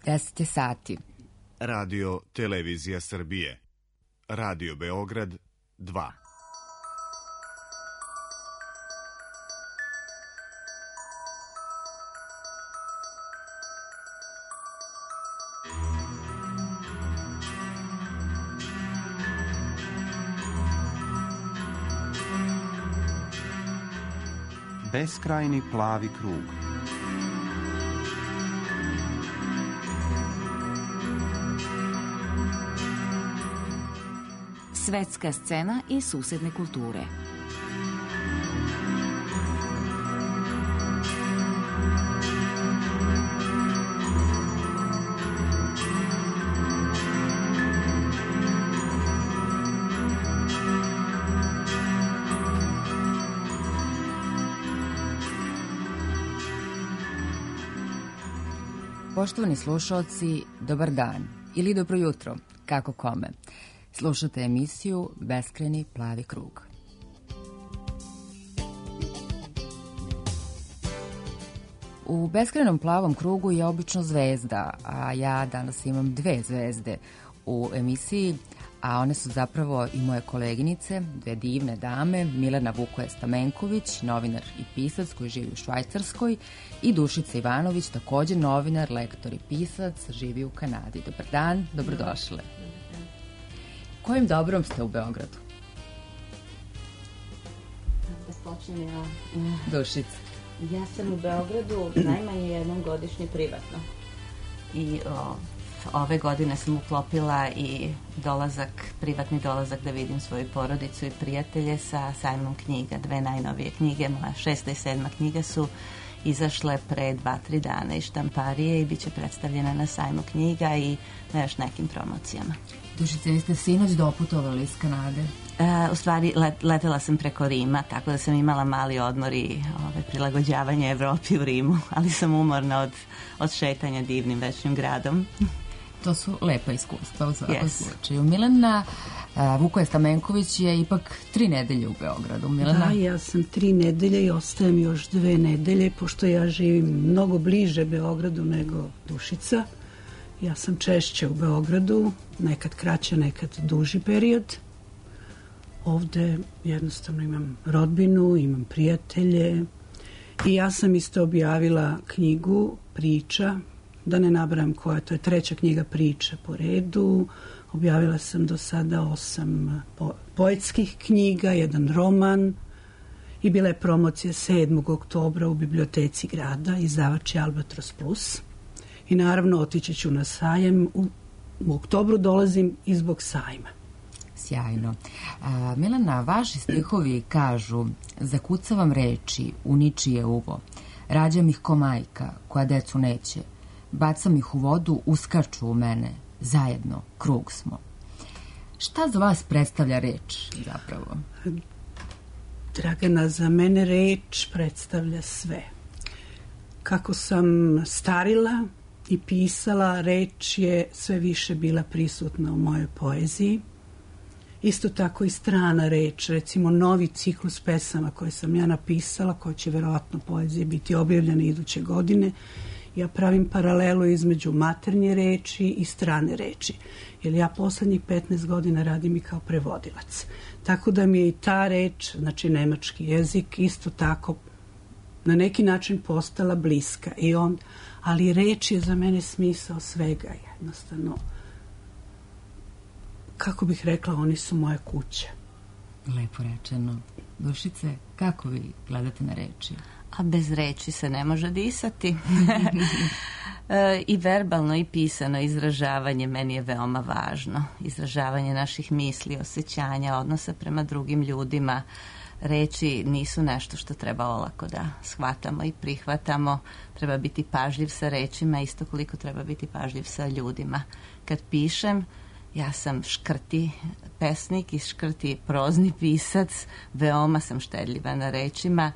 10 je sati. Radio Televizija Srbije. Radio Beograd 2. Beskrajni plavi krug. Svetska scena i susedne kulture. Poštovani slušalci, dobar dan ili dobro jutro, kako kome. Slušate emisiju Beskrajni plavi krug. U beskrajnom plavom krugu je obično zvezda, a ja danas imam 2 zvezde u emisiji, a one su zapravo i moje koleginice, 2 divne dame, Milena Vukoje-Stamenković, novinar i pisac koji živi u Švajcarskoj, i Dušica Ivanović, također novinar, lektor i pisac, živi u Kanadi. Dobar dan, dobrodošle. Kojim dobrom ste u Beogradu? Da počnem ja. Dušica. Ja sam u Beogradu najmanje jednom godišnje privatno. I ove godine sam uklopila i privatni dolazak da vidim svoju porodicu i prijatelje sa sajmom knjiga. 2 najnovije knjige, moja 6. i 7. knjiga su izašle pre 2-3 dana iz štamparije i bit će predstavljena na sajmu knjiga i na još nekim promocijama. Dušice, vi ste sinoć doputovali iz Kanade? U stvari, letela sam preko Rima, tako da sam imala mali odmor i prilagođavanje Evropi u Rimu, ali sam umorna od šetanja divnim večnim gradom. To su lepa iskustva u svakom slučaju. Milena Vukoje-Stamenković je ipak 3 nedelje u Beogradu. Milena? Da, ja sam 3 nedelje i ostajem još 2 nedelje, pošto ja živim mnogo bliže Beogradu nego Dušica. Ja sam češće u Beogradu, nekad kraće, nekad duži period. Ovde jednostavno imam rodbinu, imam prijatelje i ja sam isto objavila knjigu priča, da ne nabrajam koja, to je 3. knjiga priča po redu. Objavila sam do sada 8 poetskih knjiga, 1 roman i bila je promocija 7. oktobra u biblioteci grada, izdavač je Albatros Plus. I naravno otići ću na sajem, u oktobru dolazim i zbog sajma. Sjajno. Milena, vaši stihovi kažu: zakucavam reči u ničije uvo, rađam ih ko majka koja decu neće, bacam ih u vodu, uskaču u mene, zajedno krug smo. Šta za vas predstavlja reč zapravo? Dragana, za mene reč predstavlja sve. Kako sam starila i pisala, reč je sve više bila prisutna u mojoj poeziji. Isto tako i strana reč, recimo novi ciklus pesama koje sam ja napisala, koje će verovatno poezije biti objavljene iduće godine. Ja pravim paralelu između maternje reči i strane reči, jer ja poslednjih 15 godina radim i kao prevodilac. Tako da mi je i ta reč, znači nemački jezik, isto tako na neki način postala bliska. Ali reč je za mene smisao svega, jednostavno. Kako bih rekla, oni su moja kuća. Lepo rečeno. Dušice, kako vi gledate na reči? A bez reči se ne može disati. I verbalno i pisano izražavanje meni je veoma važno. Izražavanje naših misli, osjećanja, odnosa prema drugim ljudima. Reči nisu nešto što treba olako da shvatamo i prihvatamo. Treba biti pažljiv sa rečima, isto koliko treba biti pažljiv sa ljudima. Kad pišem, ja sam škrti pesnik i škrti prozni pisac, veoma sam štedljiva na rečima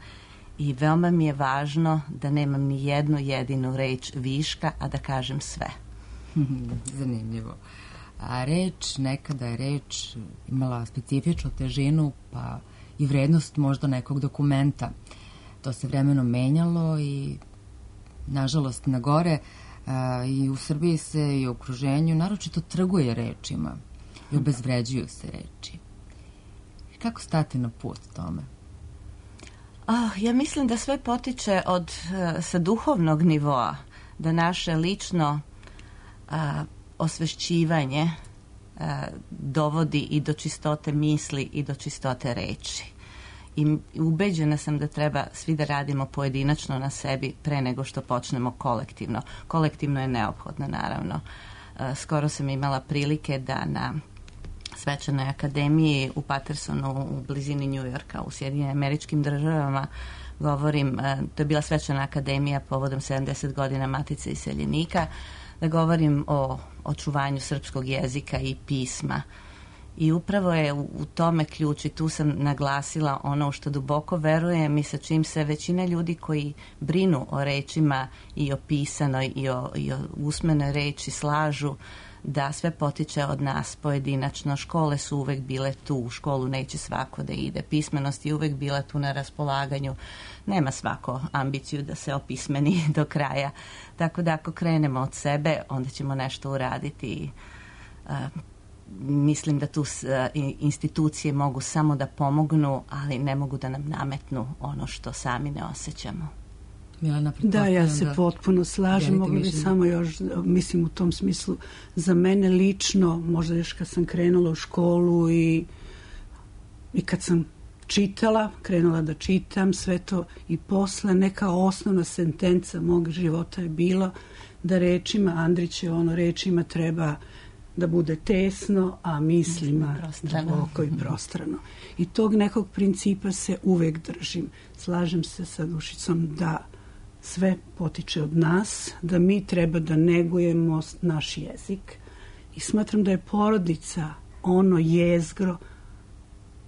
i veoma mi je važno da nemam ni jednu jedinu reč viška, a da kažem sve. Zanimljivo. A reč, nekada je reč imala specifičnu težinu, pa i vrednost možda nekog dokumenta. To se vremenom menjalo i, nažalost, na gore. I u Srbiji se i u okruženju naročito trguje rečima i obezvređuju se reči. Kako stati na put tome? Ja mislim da sve potiče sa duhovnog nivoa, da naše lično osvešćivanje dovodi i do čistote misli i do čistote reči. I ubeđena sam da treba svi da radimo pojedinačno na sebi pre nego što počnemo kolektivno. Kolektivno je neophodno, naravno. Skoro sam imala prilike da na Svečanoj akademiji u Patersonu u blizini New Yorka u Sjedinjenim Američkim Državama govorim, to je bila Svečana akademija povodom 70 godina Matice iseljenika, da govorim o očuvanju srpskog jezika i pisma. I upravo je u tome ključ i tu sam naglasila ono u što duboko verujem i sa čim se većina ljudi koji brinu o rečima i o pisanoj i o usmenoj reči slažu, da sve potiče od nas pojedinačno. Škole su uvek bile tu, u školu neće svako da ide. Pismenost je uvek bila tu na raspolaganju. Nema svako ambiciju da se opismeni do kraja. Tako da ako krenemo od sebe, onda ćemo nešto uraditi. Mislim da tu institucije mogu samo da pomognu, ali ne mogu da nam nametnu ono što sami ne osjećamo. Da, ja se potpuno slažem. Mogu bi samo još, mislim u tom smislu, za mene lično, možda još kad sam krenula u školu i kad sam krenula da čitam sve to i posle neka osnovna sentenca mog života je bila da rečima, Andrić je rečima treba da bude tesno, a mislima duboko i prostrano. I tog nekog principa se uvek držim. Slažem se sa Dušicom da sve potiče od nas, da mi treba da negujemo naš jezik i smatram da je porodica ono jezgro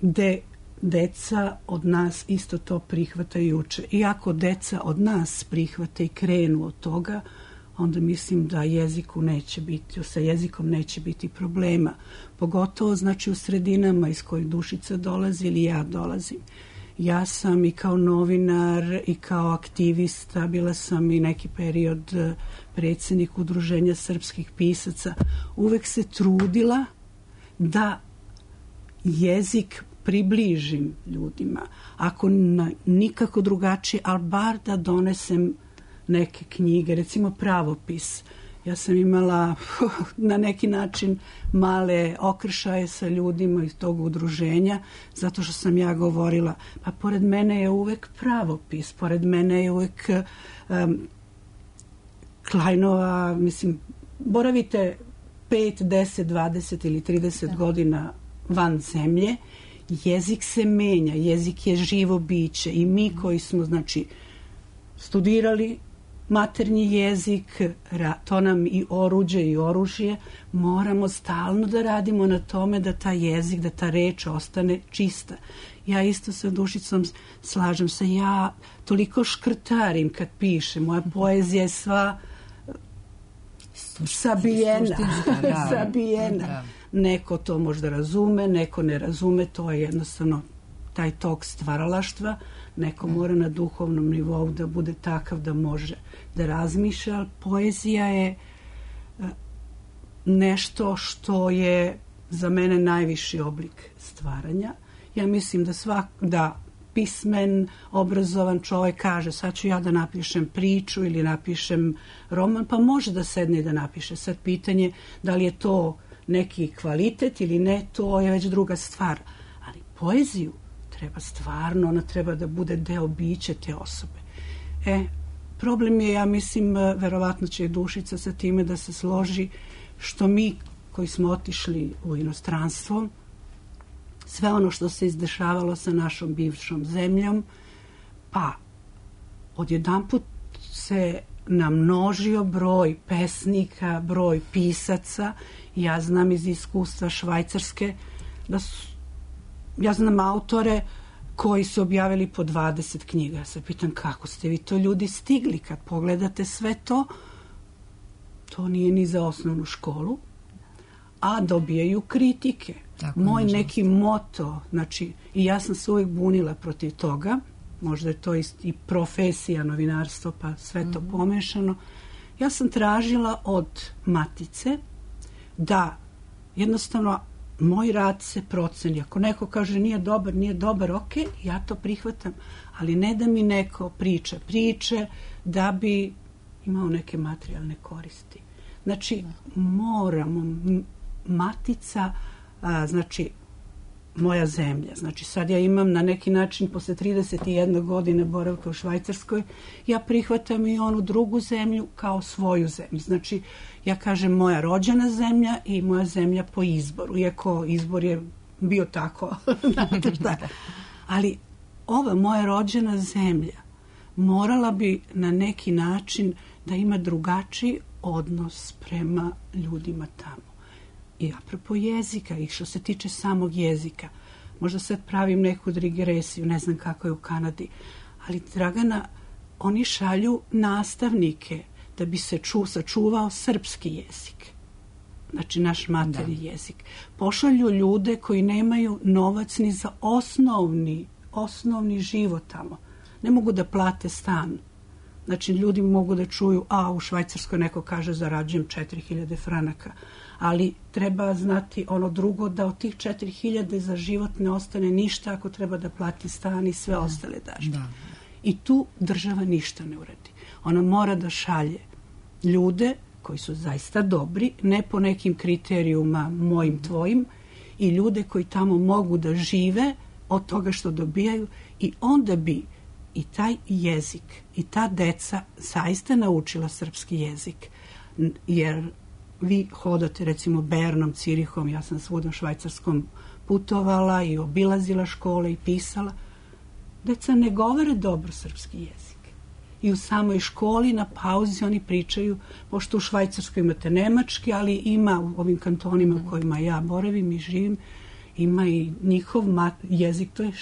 gde deca od nas isto to prihvata i uče. I ako deca od nas prihvate i krenu od toga, onda mislim da sa jezikom neće biti problema. Pogotovo znači u sredinama iz kojih Dušica dolazi ili ja dolazim. Ja sam i kao novinar i kao aktivista, bila sam i neki period predsjednik Udruženja srpskih pisaca. Uvek se trudila da jezik približim ljudima. Ako nikako drugačije, ali bar da donesem neke knjige, recimo pravopis. Ja sam imala na neki način male okršaje sa ljudima iz tog udruženja, zato što sam ja govorila, pa pored mene je uvek pravopis, pored mene je uvek Klajnova, mislim, boravite 5, 10, 20 ili 30 godina van zemlje, jezik se menja, jezik je živo biće i mi koji smo, znači, studirali maternji jezik, to nam i oruđe i oružje, moramo stalno da radimo na tome da ta jezik, da ta reč ostane čista. Ja isto sa Dušicom slažem se, ja toliko škrtarim kad pišem, moja poezija je sva sabijena. Neko to možda razume, neko ne razume, to je jednostavno taj tok stvaralaštva, neko mora na duhovnom nivou da bude takav da može da razmišlja, ali poezija je nešto što je za mene najviši oblik stvaranja. Ja mislim da pismen, obrazovan čovjek kaže sad ću ja da napišem priču ili napišem roman, pa može da sedne i da napiše. Sad pitanje da li je to neki kvalitet ili ne, to je već druga stvar. Ali poeziju treba stvarno, ona treba da bude deo bića te osobe. Problem je, ja mislim, verovatno će Dušica sa time da se složi, što mi koji smo otišli u inostranstvo, sve ono što se izdešavalo sa našom bivšom zemljom, pa odjedanput se namnožio broj pesnika, broj pisaca. Ja znam iz iskustva Švajcarske ja znam autore koji su objavili po 20 knjiga. Ja se pitam kako ste vi to ljudi stigli, kad pogledate sve to, to nije ni za osnovnu školu, a dobijaju kritike. Tako, moj neki moto, znači, i ja sam se uvijek bunila protiv toga, možda je to i profesija, novinarstvo, pa sve to pomešano. ja sam tražila od matice da jednostavno moj rad se proceni. Ako neko kaže nije dobar, ok, ja to prihvatam, ali ne da mi neko priča priče da bi imao neke materijalne koristi. Znači, moramo, matica, znači, moja zemlja. Znači, sad ja imam na neki način, posle 31 godine boravka u Švajcarskoj, ja prihvatam i onu drugu zemlju kao svoju zemlju. Znači, ja kažem moja rođena zemlja i moja zemlja po izboru, iako izbor je bio tako. Znate šta? Ali ova moja rođena zemlja morala bi na neki način da ima drugačiji odnos prema ljudima tamo. I apropo jezika, i što se tiče samog jezika, možda sad pravim neku digresiju, ne znam kako je u Kanadi, ali Dragana, oni šalju nastavnike da bi se sačuvao srpski jezik. Znači, naš maternji jezik. Pošalju ljude koji nemaju novac ni za osnovni život tamo. Ne mogu da plate stan. Znači, ljudi mogu da čuju, u Švajcarskoj neko kaže zarađujem 4000 franaka, ali treba znati ono drugo, da od tih 4000 za život ne ostane ništa ako treba da plati stan i sve ostale dažbe. I tu država ništa ne uradi. Ona mora da šalje ljude koji su zaista dobri, ne po nekim kriterijuma mojim, tvojim, i ljude koji tamo mogu da žive od toga što dobijaju, i onda bi i taj jezik i ta deca zaista naučila srpski jezik. Jer vi hodate recimo Bernom, Cirihom, ja sam svuda u Švajcarskom putovala i obilazila škole i pisala. Deca ne govore dobro srpski jezik. I u samoj školi na pauzi oni pričaju, pošto u Švajcarskoj imate nemački, ali ima u ovim kantonima u kojima ja boravim i živim, ima i njihov jezik, to je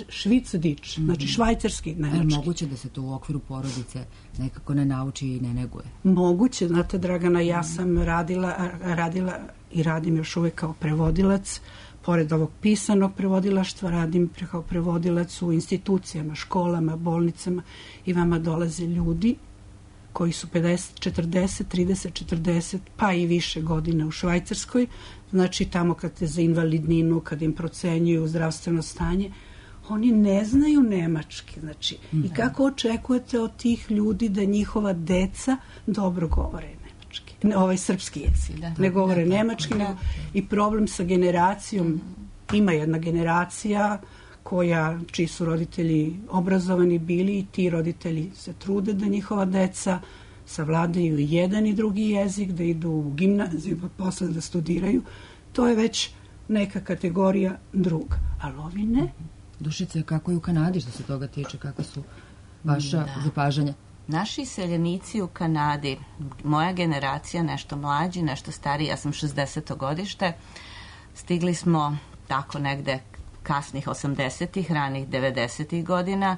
švicdič, znači švajcarski nemački. Ali moguće da se to u okviru porodice nekako ne nauči i ne neguje? Moguće, znate Dragana, ja sam radila i radim još uvek kao prevodilac. Pored ovog pisanog prevodilaštva radim kao prevodilac u institucijama, školama, bolnicama, i vama dolaze ljudi koji su 50, 40, 30, 40, pa i više godina u Švajcarskoj. Znači, tamo kad te za invalidninu, kad im procenjuju zdravstveno stanje, oni ne znaju nemački. Znači, i kako očekujete od tih ljudi da njihova deca dobro govore nemački? Srpski jezik. Ne govore nemački. I problem sa generacijom, ima jedna generacija čiji su roditelji obrazovani bili, i ti roditelji se trude da njihova deca savladaju jedan i drugi jezik, da idu u gimnaziju, pa posle da studiraju. To je već neka kategorija druga. Ali ovi ne. Dušice, kako je u Kanadi što se toga tiče? Kako su vaša zapažanja? Naši iseljenici u Kanadi, moja generacija, nešto mlađi, nešto stariji, ja sam 60. godište, stigli smo tako negde kasnih 80-ih, ranih 90-ih godina.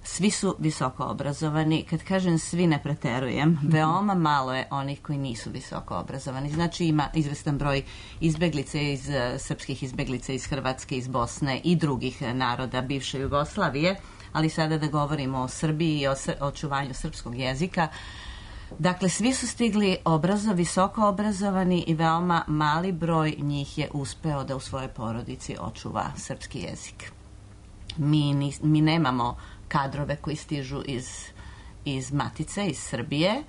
Svi su visoko obrazovani. Kad kažem svi, ne preterujem. Veoma malo je onih koji nisu visoko obrazovani. Znači, ima izvestan broj izbeglica srpskih izbeglica iz Hrvatske, iz Bosne i drugih naroda bivše Jugoslavije, ali sada da govorimo o Srbiji i o očuvanju srpskog jezika. Dakle, svi su stigli visoko obrazovani i veoma mali broj njih je uspeo da u svojoj porodici očuva srpski jezik. Mi nemamo kadrove koji stižu iz Matice, iz Srbije.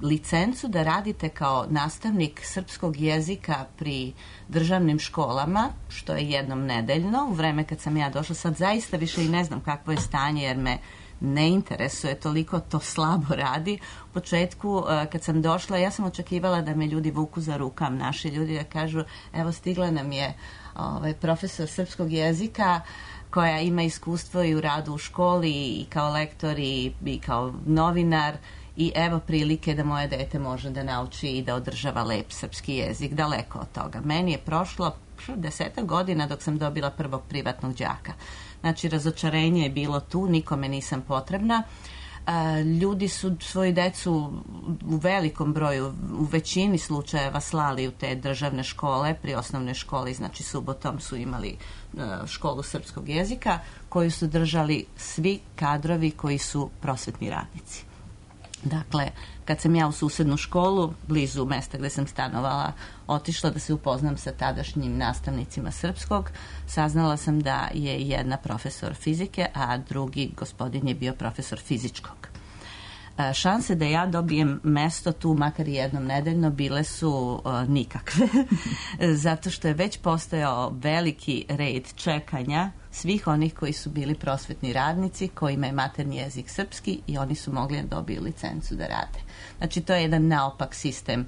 Licencu da radite kao nastavnik srpskog jezika pri državnim školama, što je jednom nedeljno, u vreme kad sam ja došla, sad zaista više i ne znam kakvo je stanje, jer me ne interesuje, toliko to slabo radi. U početku, kad sam došla, ja sam očekivala da me ljudi vuku za rukav, naši ljudi, da kažu, evo, stigla nam je profesor srpskog jezika koja ima iskustvo i u radu u školi i kao lektor i kao novinar, i evo prilike da moje dete može da nauči i da održava lep srpski jezik. Daleko od toga. Meni je prošlo 10 godina dok sam dobila prvog privatnog đaka. Znači, razočarenje je bilo tu, nikome nisam potrebna. Ljudi su svoju decu u velikom broju, u većini slučajeva slali u te državne škole, pri osnovnoj školi, znači subotom su imali školu srpskog jezika, koju su držali svi kadrovi koji su prosvetni radnici. Dakle, kad sam ja u susednu školu, blizu mesta gde sam stanovala, otišla da se upoznam sa tadašnjim nastavnicima srpskog, saznala sam da je jedna profesor fizike, a drugi gospodin je bio profesor fizičkog. Šanse da ja dobijem mesto tu, makar i jednom nedeljno, bile su nikakve. Zato što je već postojao veliki red čekanja svih onih koji su bili prosvetni radnici, kojima je maternji jezik srpski i oni su mogli da dobiju licencu da rade. Znači, to je jedan naopak sistem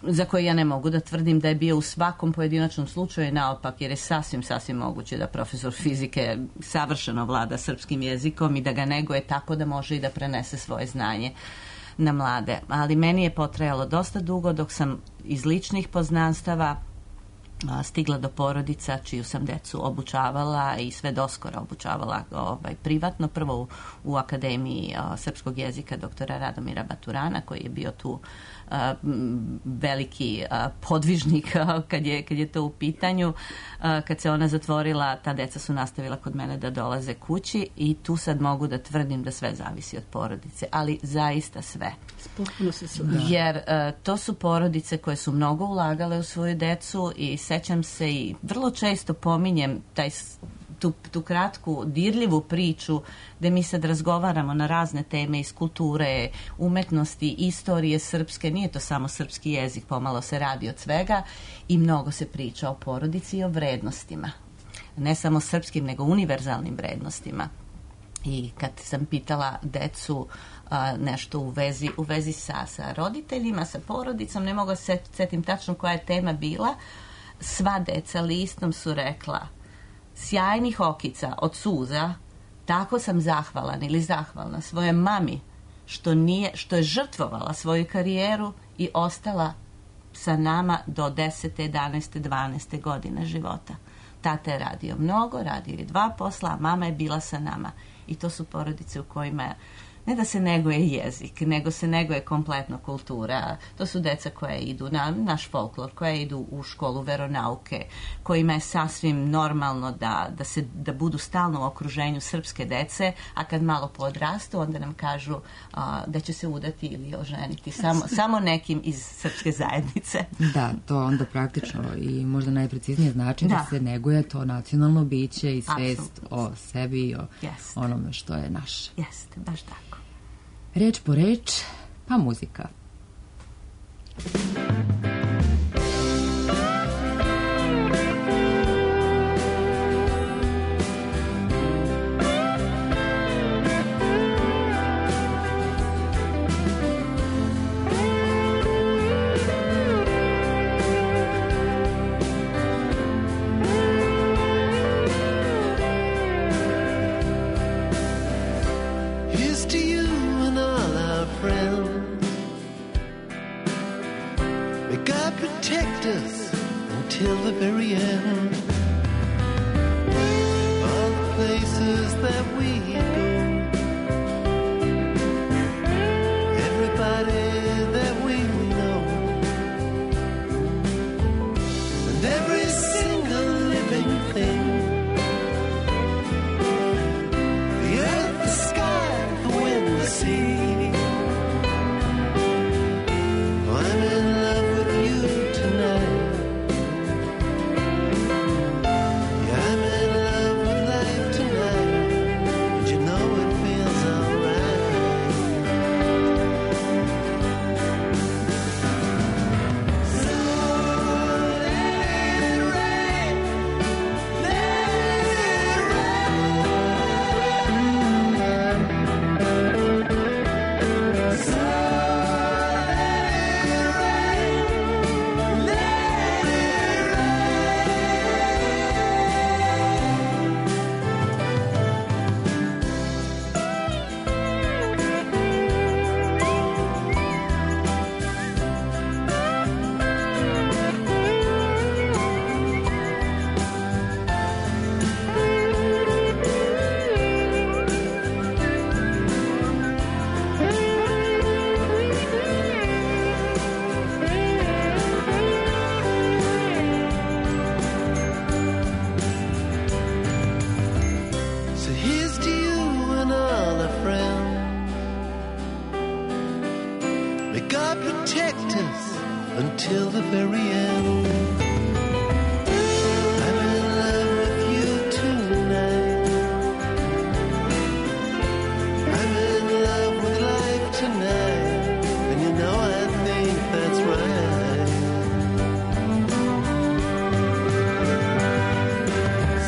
za koji ja ne mogu da tvrdim da je bio u svakom pojedinačnom slučaju naopak, jer je sasvim moguće da profesor fizike savršeno vlada srpskim jezikom i da ga neguje tako da može i da prenese svoje znanje na mlade. Ali meni je potrajalo dosta dugo dok sam iz ličnih poznanstava stigla do porodica čiju sam decu obučavala i sve doskora obučavala privatno, prvo u Akademiji srpskog jezika doktora Radomira Baturana, koji je bio tu veliki podvižnik kad je to u pitanju. Kad se ona zatvorila, ta deca su nastavila kod mene da dolaze kući i tu sad mogu da tvrdim da sve zavisi od porodice, ali zaista sve. Potpuno se slažem. Jer to su porodice koje su mnogo ulagale u svoju decu i sećam se i vrlo često pominjem tu kratku, dirljivu priču gde mi sad razgovaramo na razne teme iz kulture, umetnosti, istorije srpske, nije to samo srpski jezik, pomalo se radi od svega i mnogo se priča o porodici i o vrednostima. Ne samo srpskim, nego univerzalnim vrednostima. I kad sam pitala decu nešto u vezi sa roditeljima, sa porodicom, ne mogu se setim tačno koja je tema bila, sva deca listom su rekla: sjajnih okica od suza, tako sam zahvalan ili zahvalna svojoj mami što je žrtvovala svoju karijeru i ostala sa nama do 10., 11., 12. godine života. Tata je radio mnogo, radio je 2 posla, a mama je bila sa nama. I to su porodice u kojima ne da se neguje jezik, nego se neguje kompletno kultura. To su deca koja idu na naš folklor, koja idu u školu veronauke, kojima je sasvim normalno da budu stalno u okruženju srpske dece, a kad malo podrastu, onda nam kažu da će se udati ili oženiti samo nekim iz srpske zajednice. Da, to onda praktično i možda najpreciznije znači da se neguje to nacionalno biće i svest o sebi i o onome što je naše. Jeste, baš tako. Reč po reč, pa muzika. Till the very end, all the places that we go, everybody that we know, and every single living thing, the earth, the sky, the wind, the sea. I'm in love with you tonight. until the very end. I'm in love with you tonight. I'm in love with life tonight. And you know I think that's right.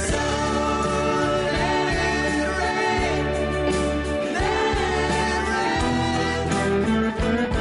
So let it rain, let it rain. So let it rain, let it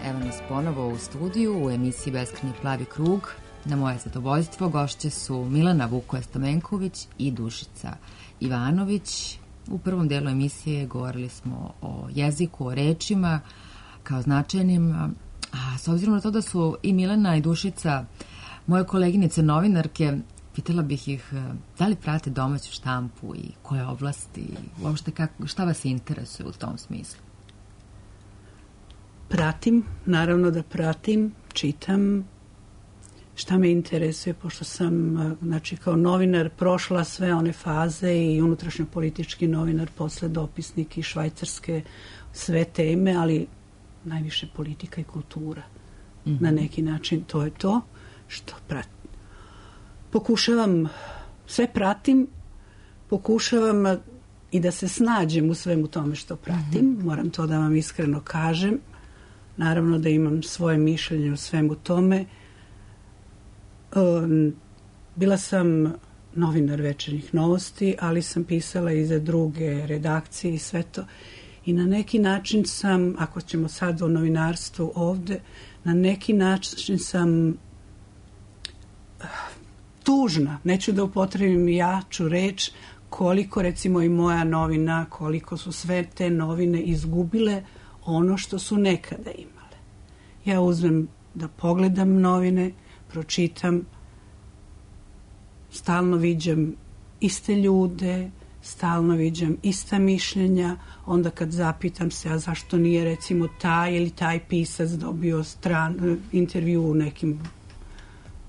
Evo nas ponovo u studiju u emisiji Beskrajni plavi krug. Na moje zadovoljstvo gošće su Milena Vukoja-Stamenković i Dušica Ivanović. U prvom delu emisije govorili smo o jeziku, o rečima kao značajnim. A s obzirom na to da su i Milena i Dušica moje koleginice novinarke, pitala bih ih da li prate domaću štampu i koje oblasti, uopšte šta vas interesuje u tom smislu? Pratim, naravno da pratim, čitam šta me interesuje, pošto sam, znači, kao novinar prošla sve one faze i unutrašnjopolitički novinar, posle dopisnik i švajcarske, sve teme, ali najviše politika i kultura. Na neki način to je to što pratim. Pokušavam, sve pratim, pokušavam i da se snađem u svemu tome što pratim, moram to da vam iskreno kažem. Naravno da imam svoje mišljenje o svemu tome. Bila sam novinar Večernjih novosti, ali sam pisala i za druge redakcije i sve to. I na neki način sam, ako ćemo sad o novinarstvu ovde, na neki način sam tužna. Neću da upotrebim jaču reč, koliko recimo i moja novina, koliko su sve te novine izgubile ono što su nekada imale. Ja uzmem da pogledam novine, pročitam, stalno viđam iste ljude, stalno viđam ista mišljenja, onda kad zapitam se, a zašto nije recimo taj ili taj pisac dobio intervju u nekim,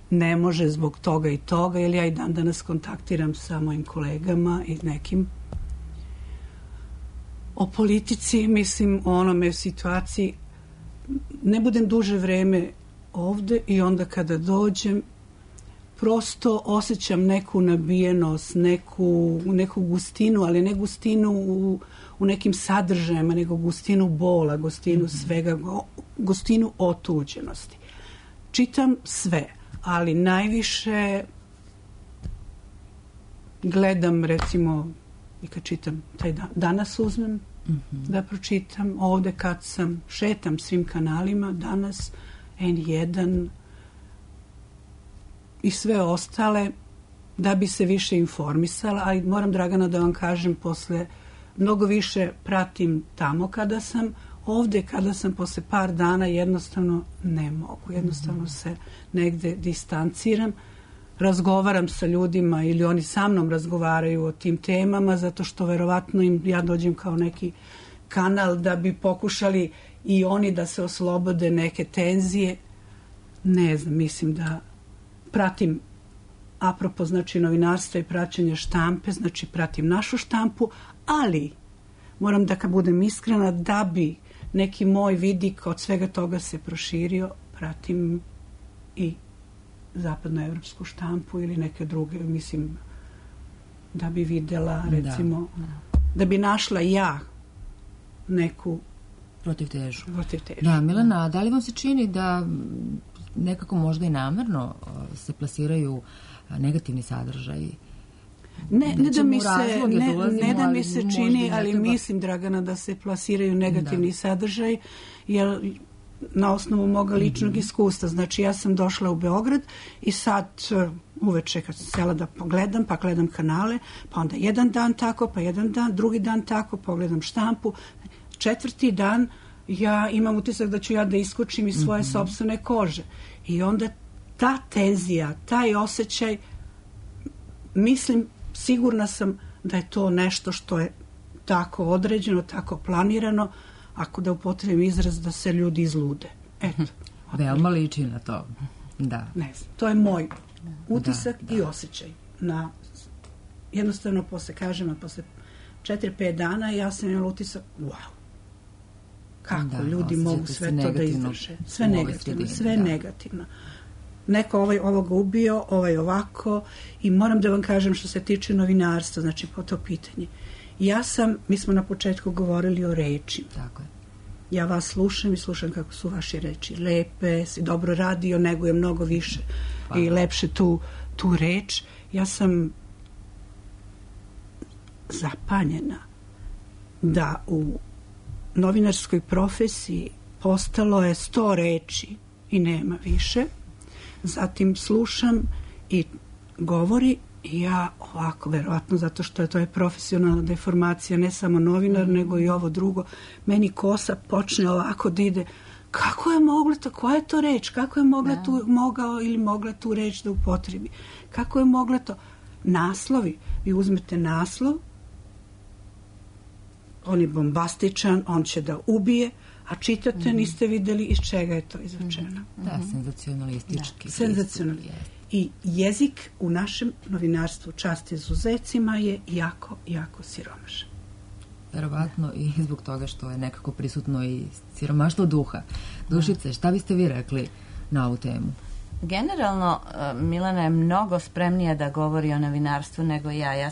ne može zbog toga i toga, ili ja i dan danas kontaktiram sa mojim kolegama i nekim. O politici, mislim, o onome situaciji, ne budem duže vreme ovde i onda kada dođem, prosto osjećam neku nabijenost, neku gustinu, ali ne gustinu u nekim sadržajima, nego gustinu bola, gustinu svega, gustinu otuđenosti. Čitam sve, ali najviše gledam, recimo, i kad čitam taj danas uzmem da pročitam, ovde kad sam, šetam svim kanalima, danas, N1 i sve ostale, da bi se više informisala, ali moram, Dragana, da vam kažem, posle mnogo više pratim tamo kada sam, ovde kada sam posle par dana jednostavno ne mogu, jednostavno se negde distanciram, razgovaram sa ljudima ili oni sa mnom razgovaraju o tim temama, zato što verovatno im ja dođem kao neki kanal da bi pokušali i oni da se oslobode neke tenzije. Ne znam, mislim da pratim, apropo, znači, novinarstva i praćenja štampe, znači pratim našu štampu, ali moram da, kad budem iskrena, da bi neki moj vidik od svega toga se proširio, pratim i zapadnoevropsku štampu ili neke druge, mislim, da bi videla, recimo, da bi našla ja neku Protivtežu. protivtežu. Da, Milena, da li vam se čini da nekako možda i namerno se plasiraju negativni sadržaji? Ne da mi se, ne da mi ali se možda čini, i ne ali treba. mislim, Dragana, da se plasiraju negativni sadržaj, jer na osnovu moga ličnog iskustva. Znači, ja sam došla u Beograd i sad uveče kad sam sela da pogledam, pa gledam kanale, pa onda jedan dan tako, pa jedan dan, drugi dan tako, pogledam štampu. Četvrti dan ja imam utisak da ću ja da iskočim iz svoje sopstvene kože. I onda ta tenzija, taj osjećaj, mislim, sigurna sam da je to nešto što je tako određeno, tako planirano, ako da upotrebim izraz da se ljudi izlude. Eto. Veoma liči na to. Da. Ne znam, to je moj utisak i osjećaj. Jednostavno, posle 4-5 dana ja sam imala utisak, wow, kako ljudi mogu sve to da izdrže. Sve negativno, sve negativno. Neko ovoga ubio, ovako, i moram da vam kažem što se tiče novinarstva, znači po to pitanje. Mi smo na početku govorili o reči. Tako je. Ja vas slušam i slušam kako su vaše reči lepe, si dobro radio, negujem mnogo više i lepše tu reč. Ja sam zapanjena da u novinarskoj profesiji postalo je 100 reči i nema više. Zatim slušam i govori i ja ovako, verovatno zato što je to profesionalna deformacija, ne samo novinar, nego i ovo drugo, meni kosa počne ovako da ide. Kako je mogla to, koja je to reč? Kako je mogao ili mogla tu reč da upotrebi? Kako je mogla to? Naslovi. Vi uzmete naslov, on je bombastičan, on će da ubije, a čitate, niste videli iz čega je to izrečeno. Da, senzacionalistički. Senzacionalistički. I jezik u našem novinarstvu, čast izuzecima, je jako, jako siromašan. Verovatno i zbog toga što je nekako prisutno i siromaštvo duha. Dušice, šta biste vi rekli na ovu temu? Generalno, Milena je mnogo spremnija da govori o novinarstvu nego ja.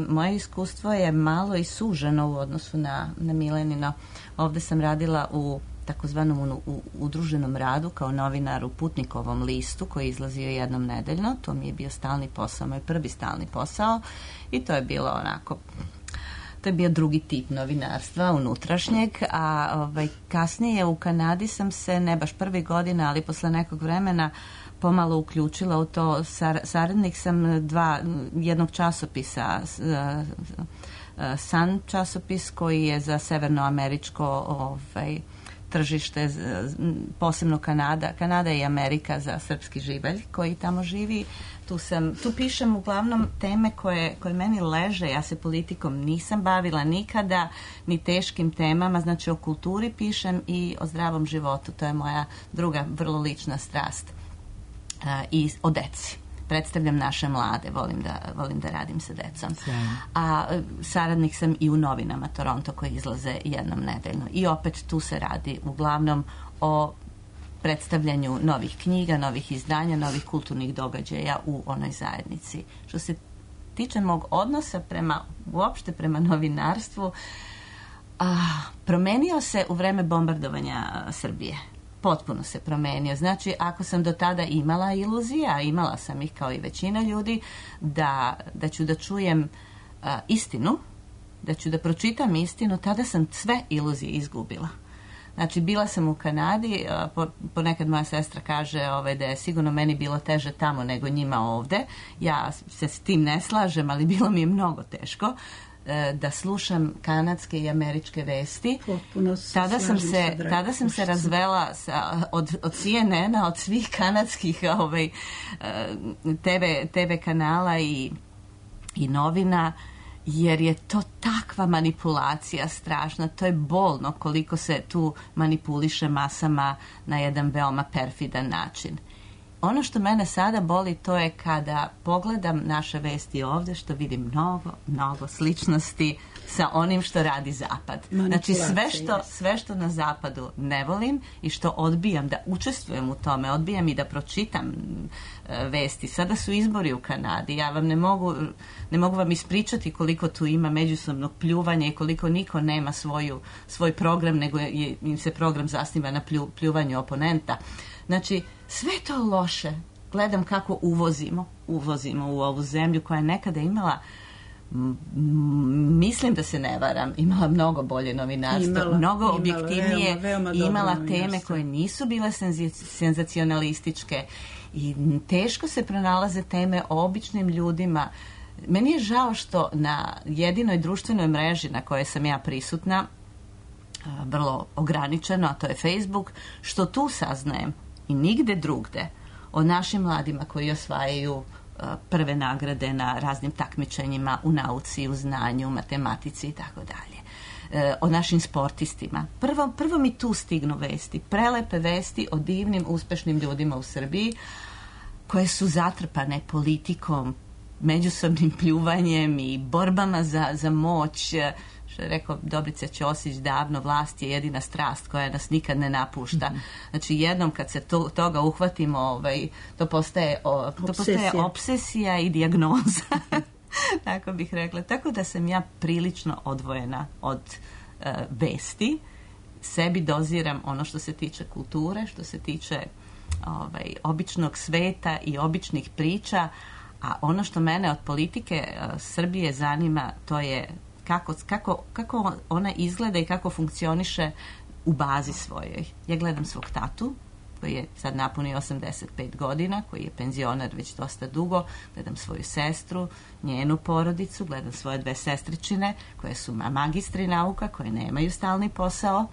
Moje iskustvo je malo i suženo u odnosu na Milenino. Ovde sam radila u takozvanom udruženom radu kao novinar u Putnikovom listu koji je izlazio jednom nedeljno. To mi je bio stalni posao, moj prvi stalni posao, i to je bilo onako, to je bio drugi tip novinarstva, unutrašnjeg, a kasnije u Kanadi sam se, ne baš prvi godina, ali posle nekog vremena pomalo uključila u to. Saradnik sam jednog časopisa, Sun časopis, koji je za severnoameričko tržište, posebno Kanada. Kanada i Amerika za srpski živalj koji tamo živi. Tu pišem uglavnom teme koje meni leže. Ja se politikom nisam bavila nikada, ni teškim temama, znači o kulturi pišem i o zdravom životu. To je moja druga vrlo lična strast. I o deci. Predstavljam naše mlade, volim da radim sa decom. A saradnik sam i u novinama Toronto koji izlaze jednom nedeljno. I opet tu se radi uglavnom o predstavljanju novih knjiga, novih izdanja, novih kulturnih događaja u onoj zajednici. Što se tiče mog odnosa uopšte prema novinarstvu, promenio se u vreme bombardovanja Srbije. Potpuno se promenio. Znači, ako sam do tada imala iluzija, a imala sam ih kao i većina ljudi, da ću da čujem istinu, da ću da pročitam istinu, tada sam sve iluzije izgubila. Znači, bila sam u Kanadi, ponekad moja sestra kaže da je sigurno meni bilo teže tamo nego njima ovde. Ja se s tim ne slažem, ali bilo mi je mnogo teško da slušam kanadske i američke vesti. Tada sam se razvela od CNN-a, od svih kanadskih TV kanala i novina, jer je to takva manipulacija strašna. To je bolno koliko se tu manipuliše masama na jedan veoma perfidan način. Ono što mene sada boli, to je kada pogledam naše vesti ovde, što vidim mnogo sličnosti sa onim što radi Zapad. Znači sve što na Zapadu ne volim i što odbijam da učestvujem u tome, odbijam i da pročitam vesti. Sada su izbori u Kanadi, ja vam ne mogu vam ispričati koliko tu ima međusobnog pljuvanja i koliko niko nema svoj program, nego im se program zasniva na pljuvanju oponenta. Znači, sve to loše. Gledam kako uvozimo u ovu zemlju koja je nekada imala, mislim da se ne varam, imala mnogo bolje novinarstvo, mnogo objektivnije, veoma imala teme koje nisu bile senzacionalističke i teško se pronalaze teme o običnim ljudima. Meni je žao što na jedinoj društvenoj mreži na kojoj sam ja prisutna, vrlo ograničeno, a to je Facebook, što tu saznajem i nigde drugde o našim mladima koji osvajaju prve nagrade na raznim takmičenjima u nauci, u znanju, u matematici i tako dalje. O našim sportistima. Prvo mi tu stignu vesti, prelepe vesti o divnim, uspešnim ljudima u Srbiji koje su zatrpane politikom, međusobnim pljuvanjem i borbama za moć. Što je rekao Dobrica Ćosić davno, vlast je jedina strast koja nas nikad ne napušta. Znači jednom kad se toga uhvatimo, to postaje obsesija i dijagnoza. Tako bih rekla. Tako da sam ja prilično odvojena od vesti. Sebi doziram ono što se tiče kulture, što se tiče običnog sveta i običnih priča, a ono što mene od politike Srbije zanima, to je kako ona izgleda i kako funkcioniše u bazi svojoj. Ja gledam svog tatu, koji je sad napunio 85 godina, koji je penzioner već dosta dugo, gledam svoju sestru, njenu porodicu, gledam svoje 2 sestričine, koje su magistri nauka, koje nemaju stalni posao,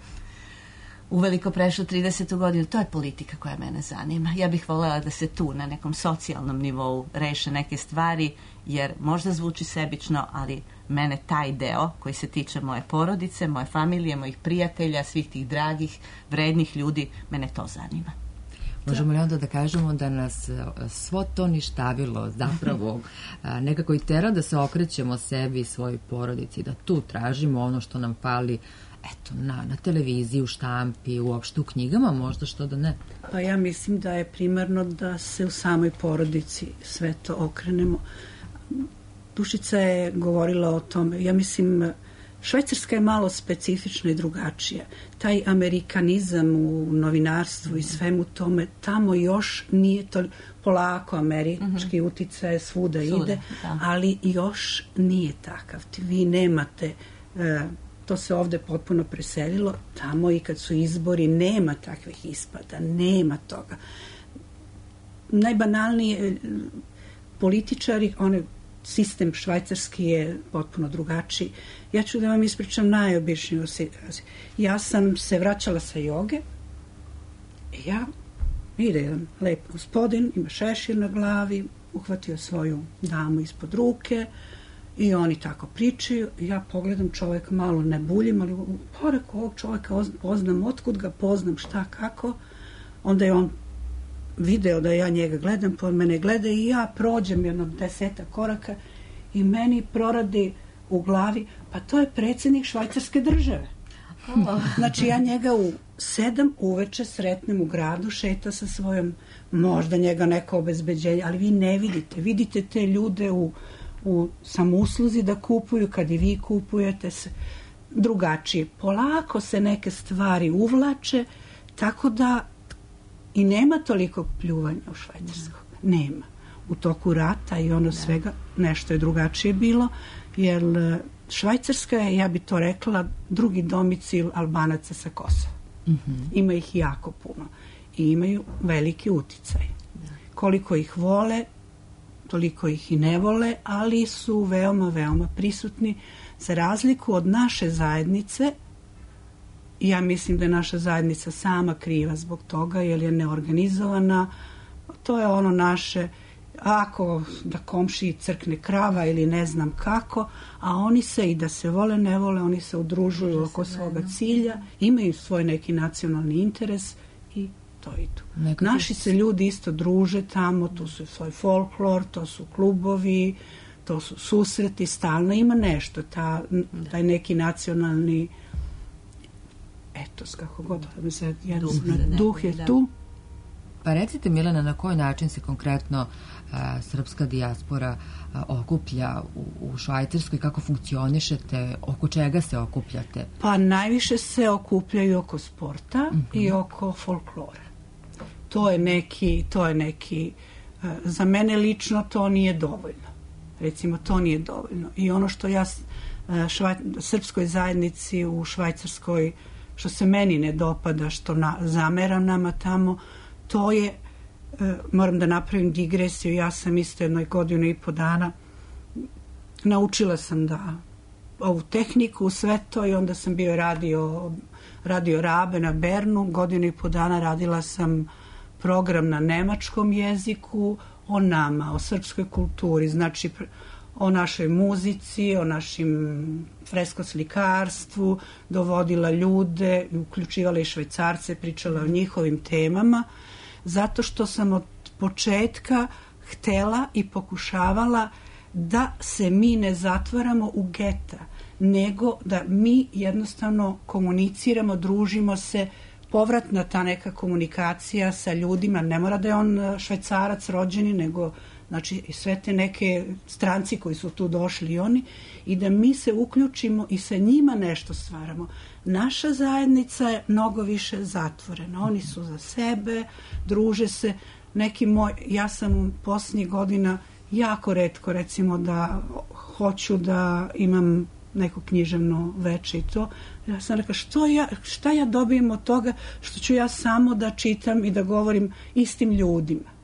uveliko prešlo 30. godinu. To je politika koja mene zanima. Ja bih voljela da se tu na nekom socijalnom nivou reše neke stvari, jer možda zvuči sebično, ali mene taj deo koji se tiče moje porodice, moje familije, mojih prijatelja, svih tih dragih, vrednih ljudi, mene to zanima. Možemo li onda da kažemo da nas svo to ništavilo zapravo nekako i tera da se okrećemo sebi i svojoj porodici, da tu tražimo ono što nam fali, eto, na televiziji, u štampi, uopšte u knjigama, možda, što da ne? Pa ja mislim da je primarno da se u samoj porodici sve to okrenemo. Dušica je govorila o tome. Ja mislim, Švajcarska je malo specifična i drugačija. Taj amerikanizam u novinarstvu i svemu tome, tamo još nije to polako američki uticaj svuda ide, ali još nije takav. Vi nemate, to se ovde potpuno preselilo, tamo i kad su izbori nema takvih ispada, nema toga. Najbanalnije političari, sistem švajcarski je potpuno drugačiji. Ja ću da vam ispričam najobičniju. Ja sam se vraćala sa joge i ide jedan lep gospodin, ima šešir na glavi, uhvatio svoju damu ispod ruke i oni tako pričaju. Ja pogledam čovjeka, malo ne buljim, ali pored ovog čovjeka poznam, otkud ga poznam, šta, kako. Onda je on video da ja njega gledam, pod mene gleda i ja prođem jedno 10 koraka i meni proradi u glavi, pa to je predsjednik švajcarske države. Znači ja njega u 7 uveče sretnem u gradu, šeta sa svojom, možda njega neko obezbeđenje, ali vi ne vidite te ljude u samousluzi da kupuju, kad i vi kupujete se drugačije. Polako se neke stvari uvlače, tako da i nema toliko pljuvanja u Švajcarskoj. Nema. U toku rata i ono svega nešto je drugačije bilo, jer Švajcarska je, ja bi to rekla, drugi domicil Albanaca sa Kosova. Ima ih jako puno i imaju veliki uticaj. Koliko ih vole, toliko ih i ne vole, ali su veoma, veoma prisutni. Za razliku od naše zajednice, ja mislim da je naša zajednica sama kriva zbog toga, jer je neorganizovana. To je ono naše, ako da komšiji crkne krava ili ne znam kako, a oni se, i da se vole, ne vole, oni se udružuju oko svoga cilja, imaju svoj neki nacionalni interes i to i tu. Naši se ljudi isto druže tamo, tu su svoj folklor, to su klubovi, to su susreti, stalno ima nešto, taj neki nacionalni etos, kako god mi se duh je tu. Pa recite, Milena, na koji način se konkretno srpska dijaspora okuplja u Švajcarskoj, kako funkcionišete, oko čega se okupljate? Pa najviše se okupljaju oko sporta i oko folklora. To je neki za mene lično to nije dovoljno. Recimo, to nije dovoljno. I ono što ja srpskoj zajednici u Švajcarskoj, što se meni ne dopada, što zameram nama tamo, to je, moram da napravim digresiju, ja sam isto 1 godinu i po dana naučila sam ovu tehniku, sve to, i onda sam bio radio Rabe na Bernu, 1 godinu i po dana radila sam program na nemačkom jeziku, o nama, o srpskoj kulturi, znači o našoj muzici, o našim freskoslikarstvu, dovodila ljude, uključivala i Švajcarce, pričala o njihovim temama, zato što sam od početka htela i pokušavala da se mi ne zatvaramo u geta, nego da mi jednostavno komuniciramo, družimo se, povratna ta neka komunikacija sa ljudima, ne mora da je on Švajcarac rođeni, nego znači i sve te neke stranci koji su tu došli i oni, i da mi se uključimo i sa njima nešto stvaramo. Naša zajednica je mnogo više zatvorena. Oni su za sebe, druže se. Ja sam posljednjih godina jako retko, recimo, da hoću da imam neko književno veče i to. Ja sam rekla, šta ja dobijem od toga što ću ja samo da čitam i da govorim istim ljudima.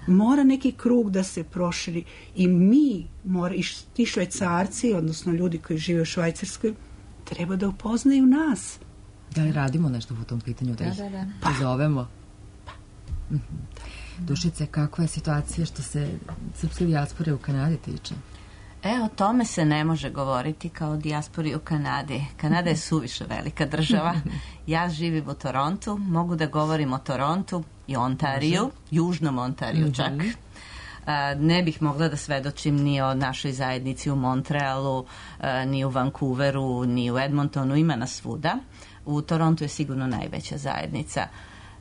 Mora neki krug da se proširi i i ti Švajcarci, odnosno ljudi koji žive u Švajcarskoj, treba da upoznaju nas. Da li radimo nešto po tom pitanju, da ih pozovemo? Dušice, kakva je situacija što se srpske dijaspore u Kanadi tiče? O tome se ne može govoriti kao o dijaspori u Kanadi. Kanada je suviše velika država. Ja živim u Torontu, mogu da govorim o Torontu i Ontariju, južnom Ontariju čak. Ne bih mogla da svedočim ni o našoj zajednici u Montrealu, ni u Vancouveru, ni u Edmontonu, ima nas svuda. U Torontu je sigurno najveća zajednica.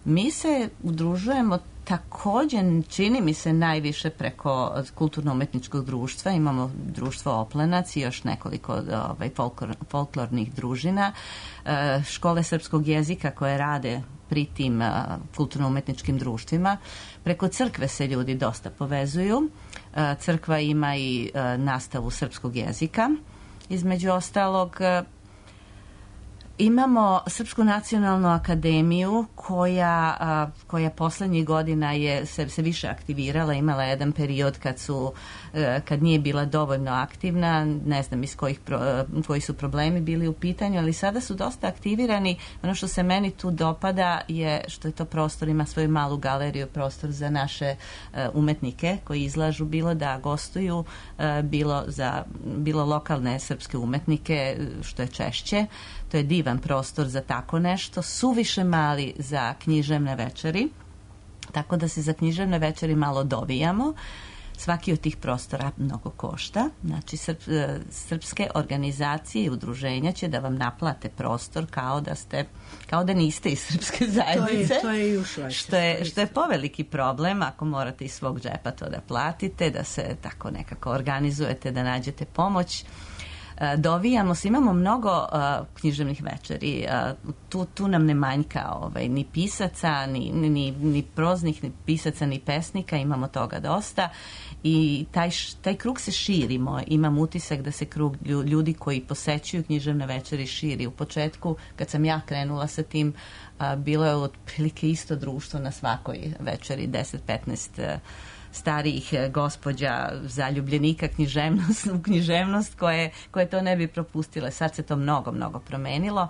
Mi se udružujemo također, čini mi se, najviše preko kulturno-umetničkog društva. Imamo društvo Oplenac i još nekoliko folklornih družina. Škole srpskog jezika koje rade pri tim kulturno-umetničkim društvima. Preko crkve se ljudi dosta povezuju. Crkva ima i nastavu srpskog jezika. Između ostalog, imamo Srpsku nacionalnu akademiju koja poslednjih godina se više aktivirala, imala jedan period kad nije bila dovoljno aktivna, ne znam koji su problemi bili u pitanju, ali sada su dosta aktivirani. Ono što se meni tu dopada je što je to prostor, ima svoju malu galeriju, prostor za naše umetnike koji izlažu, bilo da gostuju, bilo lokalne srpske umetnike, što je češće. To je divan prostor za tako nešto, suviše mali za književne večeri, tako da se za književne večeri malo dovijamo. Svaki od tih prostora mnogo košta. Znači, srpske organizacije i udruženja će da vam naplate prostor kao da niste iz srpske zajednice. To je i u Švajcarskoj. Što je poveliki problem ako morate iz svog džepa to da platite, da se tako nekako organizujete, da nađete pomoć. Dovijamo se, imamo mnogo književnih večeri, tu nam ne manjka ni pisaca, ni proznih, ni pisaca, ni pesnika, imamo toga dosta i taj krug se širimo. Imam utisak da se krug ljudi koji posećuju književne večeri širi. U početku, kad sam ja krenula sa tim, bilo je otprilike isto društvo na svakoj večeri, 10-15 starijih gospođa zaljubljenika u književnost koje to ne bi propustile. Sad se to mnogo promenilo.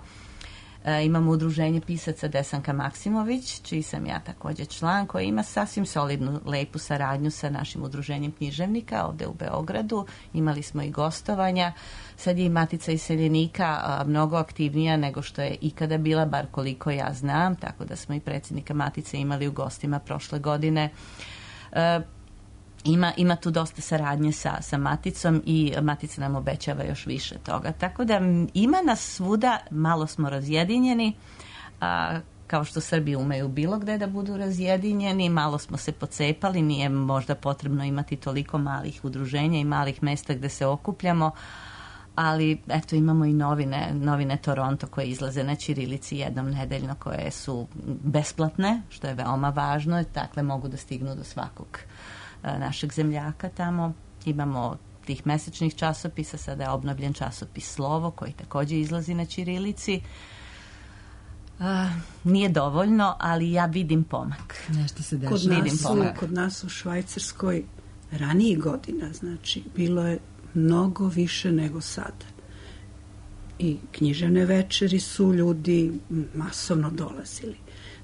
Imamo udruženje pisaca Desanka Maksimović, čiji sam ja također član, koji ima sasvim solidnu, lepu saradnju sa našim udruženjem književnika ovde u Beogradu. Imali smo i gostovanja. Sad je i Matica iseljenika mnogo aktivnija nego što je ikada bila, bar koliko ja znam, tako da smo i predsjednika Matice imali u gostima prošle godine. Ima tu dosta saradnje sa Maticom i Matica nam obećava još više toga. Tako da ima nas svuda, malo smo razjedinjeni, kao što Srbi umeju bilo gde da budu razjedinjeni, malo smo se pocepali, nije možda potrebno imati toliko malih udruženja i malih mesta gde se okupljamo, ali eto imamo i novine Toronto koje izlaze na ćirilici jednom nedeljno, koje su besplatne, što je veoma važno, dakle mogu da stignu do svakog našeg zemljaka tamo. Imamo tih mesečnih časopisa, sada je obnovljen časopis Slovo koji takođe izlazi na ćirilici. Nije dovoljno, ali ja vidim pomak. Nešto se dešava. Kod nas u Švajcarskoj ranijih godina, znači bilo je mnogo više nego sada. I književne večeri su ljudi masovno dolazili.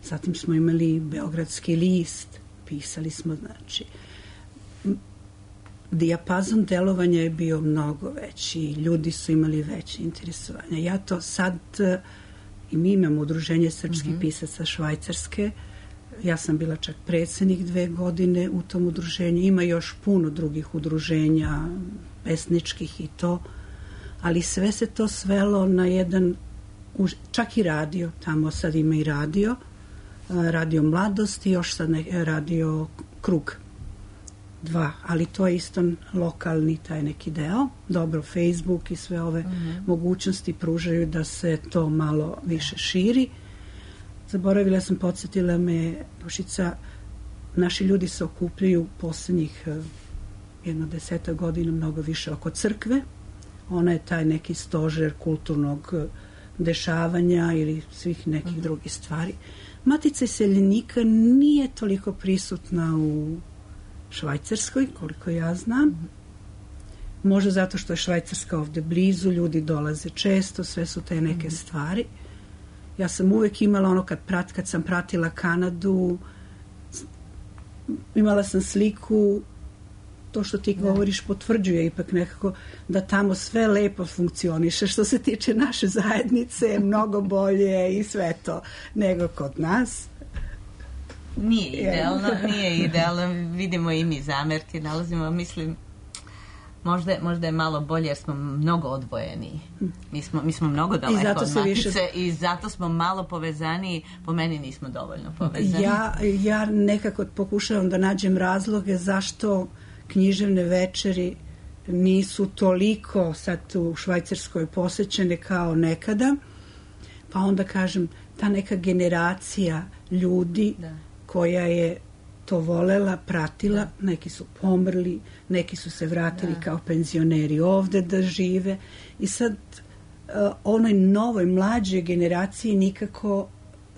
Zatim smo imali Beogradski list, pisali smo, znači dijapazon delovanja je bio mnogo veći, ljudi su imali veće interesovanje. Ja to sad, i mi imamo udruženje srpskih pisaca Švajcarske, ja sam bila čak predsednik 2 godine u tom udruženju, ima još puno drugih udruženja, pesničkih i to, ali sve se to svelo na jedan, čak i radio, tamo sad ima i radio Mladost i još sad radio Krug 2, ali to je isto lokalni taj neki deo. Dobro, Facebook i sve ove mogućnosti pružaju da se to malo više širi. Zaboravila sam, podsjetila me Dušica, naši ljudi se okupljaju poslednjih 10 godina mnogo više oko crkve. Ona je taj neki stožer kulturnog dešavanja ili svih nekih drugih stvari. Matica iseljenika nije toliko prisutna u Švajcarskoj, koliko ja znam. Možda zato što je Švajcarska ovde blizu, ljudi dolaze često, sve su te neke stvari. Ja sam uvek imala ono kad sam pratila Kanadu, imala sam sliku, to što ti govoriš potvrđuje ipak nekako da tamo sve lepo funkcioniše što se tiče naše zajednice, mnogo bolje i sve to nego kod nas. Nije idealno, vidimo i mi zamerke, nalazimo, mislim, možda je malo bolje jer smo mnogo odvojeni. Mi smo mnogo daleko od Matice i zato smo malo povezaniji, po meni nismo dovoljno povezani. Ja nekako pokušavam da nađem razloge zašto književne večeri nisu toliko sad u Švajcarskoj posećene kao nekada, pa onda kažem, ta neka generacija ljudi koja je to volela, pratila, neki su pomrli, neki su se vratili kao penzioneri ovde da žive i sad onoj novoj mlađoj generaciji nikako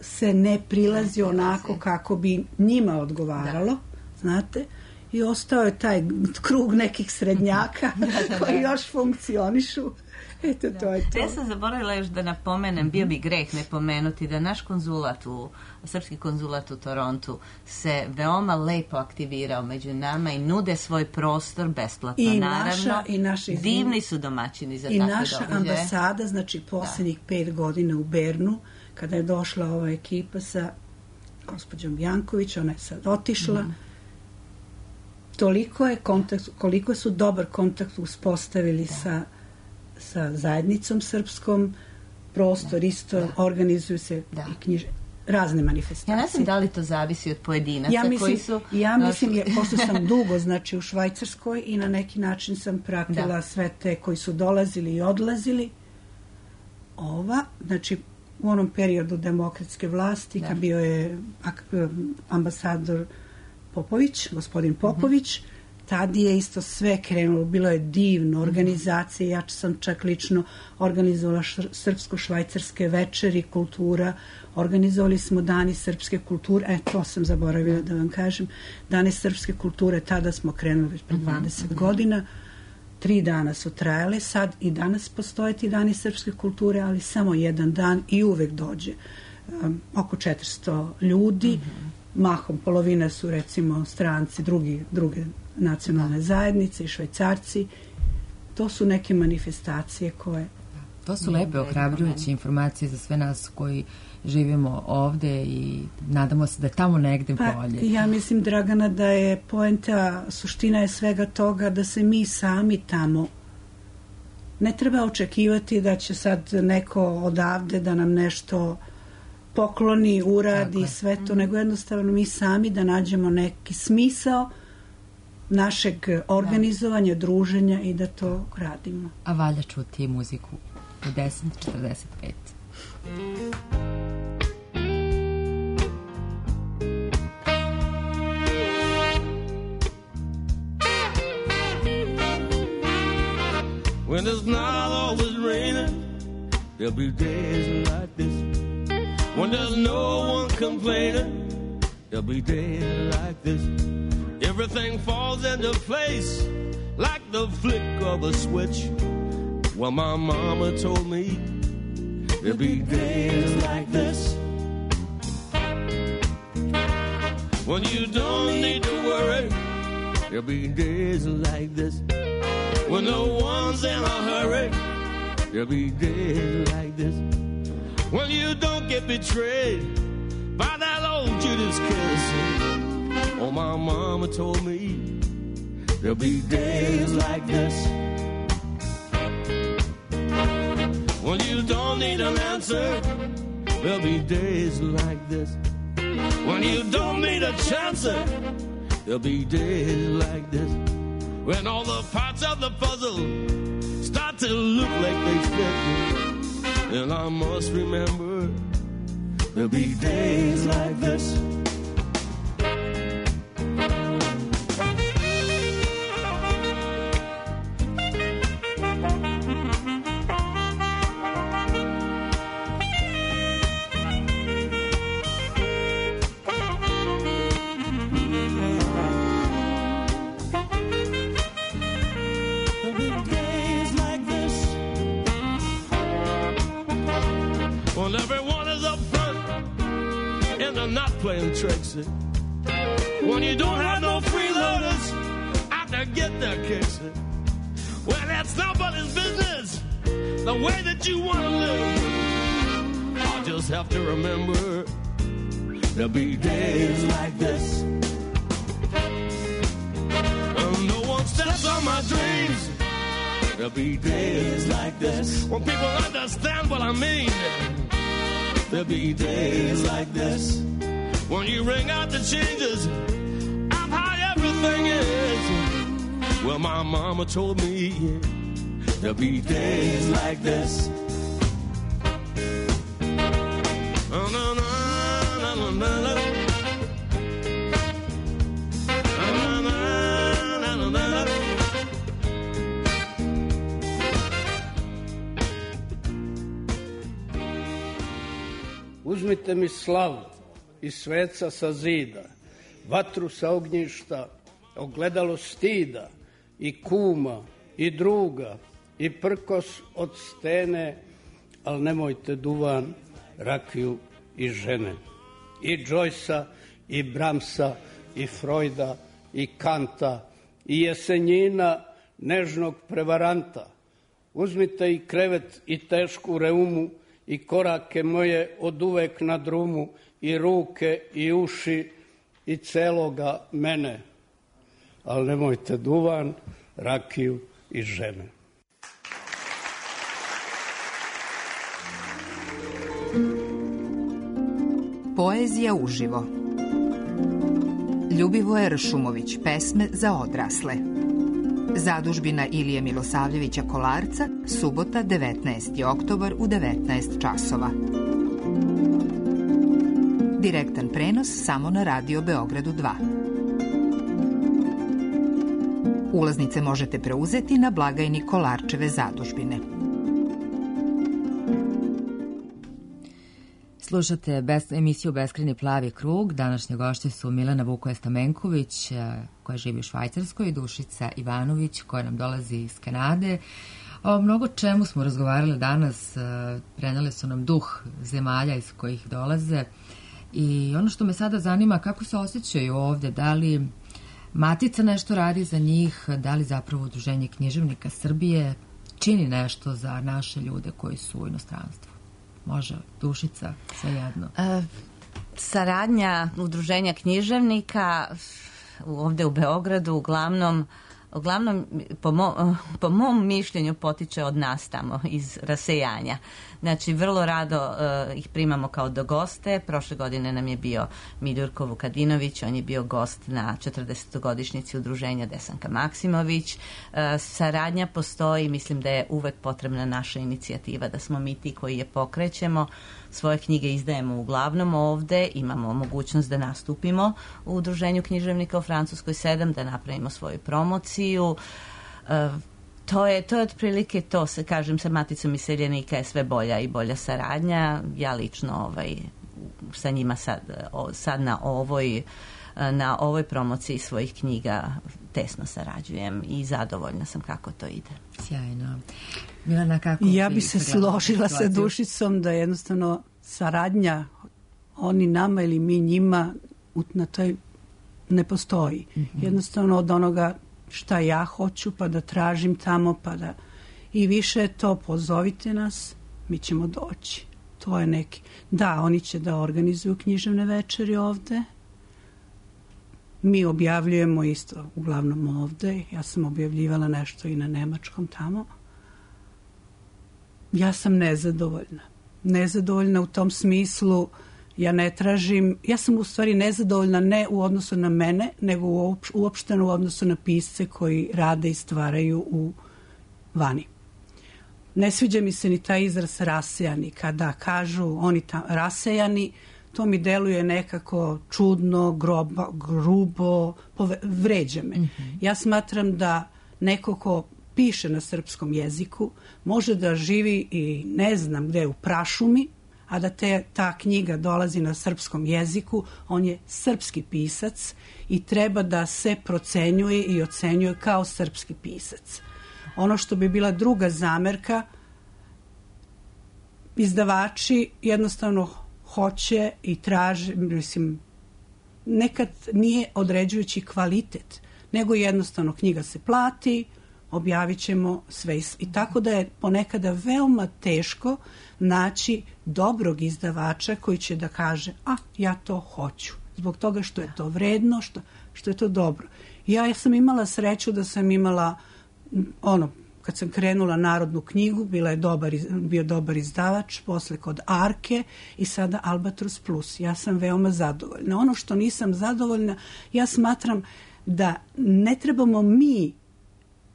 se ne prilazi onako kako bi njima odgovaralo, znate, i ostao je taj krug nekih srednjaka koji još funkcionišu. Eto, to je to. Ja sam zaboravila još da napomenem, bio bi greh ne pomenuti da naš srpski konzulat u Torontu se veoma lepo aktivirao među nama i nude svoj prostor besplatno, naravno. Divni su domaćini za takve događaje. I naša ambasada, znači poslednjih 5 godina u Bernu, kada je došla ova ekipa sa gospođom Janković, ona je sad otišla, koliko su dobar kontakt uspostavili sa zajednicom srpskom, prostor isto, organizuju se i razne manifestacije. Ja ne znam da li to zavisi od pojedinaca koji su... Ja mislim, pošto sam dugo, znači u Švajcarskoj i na neki način sam pratila sve te koji su dolazili i odlazili. Znači u onom periodu demokratske vlasti, kad bio je ambasador Popović, gospodin Popović, tad je isto sve krenulo, bilo je divno, organizacije, ja sam čak lično organizovala srpsko-švajcarske večeri, kultura, organizovali smo Dani srpske kulture, to sam zaboravila da vam kažem, Dani srpske kulture, tada smo krenuli već pre 20 godina, 3 dana su trajale, sad i danas postoje ti Dani srpske kulture, ali samo jedan dan i uvek dođe oko 400 ljudi, mahom polovina su recimo stranci, druge nacionalne zajednice i Švajcarci. To su neke manifestacije koje To su lepe, ohrabrujuće informacije za sve nas koji živimo ovde i nadamo se da je tamo negde bolje. Ja mislim, Dragana, da je poenta, suština je svega toga da se mi sami tamo ne treba očekivati da će sad neko odavde da nam nešto pokloni, uradi, sve to, nego jednostavno mi sami da nađemo neki smisao našeg organizovanja, druženja i da to radimo. A valja čuti muziku u 10:45. When it's not always raining, there'll be days like this. When there's no one complaining, there'll be days like this. Everything falls into place like the flick of a switch. Well, my mama told me there'll be days like this. When you don't need to worry, there'll be days like this. When no one's in a hurry, there'll be days like this. When you don't get betrayed by that old Judas kiss. Oh, my mama told me there'll be days like this. When you don't need an answer, there'll be days like this. When you don't need a chance, there'll be days like this. When all the parts of the puzzle start to look like they fit, then I must remember there'll be days like this. Playing tricks. When you don't have no freeloaders out to get their kicks. Well, that's nobody's business the way that you want to live. I'll just have to remember there'll be days like this. When no one steps on my dreams, there'll be days like this. When people understand what I mean, there'll be days like this. When you ring out the changes of how everything is. Well, my mama told me there'll be days like this. Uzmite mi slavu i sveca sa zida, vatru sa ognjišta, ogledalo stida, i kuma, i druga, i prkos od stene, al nemojte duvan, rakiju i žene. I Joycea, i Bramsa, i Freuda, i Kanta, i Jesenjina, nežnog prevaranta. Uzmite i krevet i tešku reumu, i korake moje od uvek na drumu, i ruke, i uši, i celoga mene. Ali nemojte duvan, rakiju i žene. Poezija uživo. Ljubivoje Ršumović, pesme za odrasle. Zadužbina Ilije Milosavljevića Kolarca, subota 19. oktobar u 19 časova. Direktan prenos samo na Radio Beogradu 2. Ulaznice možete preuzeti na blagajni Kolarčeve zadužbine. Slušate emisiju Beskrajni plavi krug. Današnje gošće su Milena Vukoja-Stamenković, koja živi u Švajcarskoj, i Dušica Ivanović, koja nam dolazi iz Kanade. O mnogo čemu smo razgovarali danas, prenele su nam duh zemalja iz kojih dolaze. I ono što me sada zanima, kako se osjećaju ovde, da li Matica nešto radi za njih, da li zapravo Udruženje književnika Srbije, čini nešto za naše ljude koji su u inostranstvu? Može, Dušica, svejedno. Saradnja udruženja književnika ovde u Beogradu uglavnom po mom mišljenju potiče od nas tamo iz rasejanja. Znači, vrlo rado ih primamo kao do goste. Prošle godine nam je bio Miljurko Vukadinović, on je bio gost na 40-godišnjici udruženja Desanka Maksimović. Saradnja postoji, mislim da je uvek potrebna naša inicijativa, da smo mi ti koji je pokrećemo. Svoje knjige izdajemo uglavnom ovde, imamo mogućnost da nastupimo u udruženju književnika u Francuskoj 7, da napravimo svoju promociju. To je otprilike to, kažem, sa Maticom iseljenika je sve bolja i bolja saradnja. Ja lično sa njima sad na ovoj promociji svojih knjiga tesno sarađujem i zadovoljna sam kako to ide. Sjajno. Milana, kako ja bi se složila sa Dušicom da jednostavno saradnja oni nama ili mi njima na toj ne postoji. Jednostavno od onoga šta ja hoću, pa da tražim tamo, pa da i više to pozovite nas, mi ćemo doći. To je neki. Da, oni će da organizuju književne večeri ovde. Mi objavljujemo isto, uglavnom ovde. Ja sam objavljivala nešto i na nemačkom tamo. Ja sam nezadovoljna. Nezadovoljna u tom smislu, ja ne tražim, ja sam u stvari nezadovoljna ne u odnosu na mene, nego uopšteno u odnosu na pisce koji rade i stvaraju u vani. Ne sviđa mi se ni taj izraz rasejani. Kada kažu oni rasejani, to mi deluje nekako čudno, grubo, vređa me. Ja smatram da neko ko piše na srpskom jeziku može da živi i ne znam gde u prašumi, a da ta knjiga dolazi na srpskom jeziku, on je srpski pisac i treba da se procenjuje i ocenjuje kao srpski pisac. Ono što bi bila druga zamerka, izdavači jednostavno hoće i traže, mislim, nekad nije određujući kvalitet, nego jednostavno knjiga se plati, objavit ćemo sve. I tako da je ponekada veoma teško naći dobrog izdavača koji će da kaže, ja to hoću. Zbog toga što je to vredno, što je to dobro. Ja sam imala sreću da sam imala, kad sam krenula Narodnu knjigu, bio dobar izdavač, posle kod Arke i sada Albatros Plus. Ja sam veoma zadovoljna. Ono što nisam zadovoljna, ja smatram da ne trebamo mi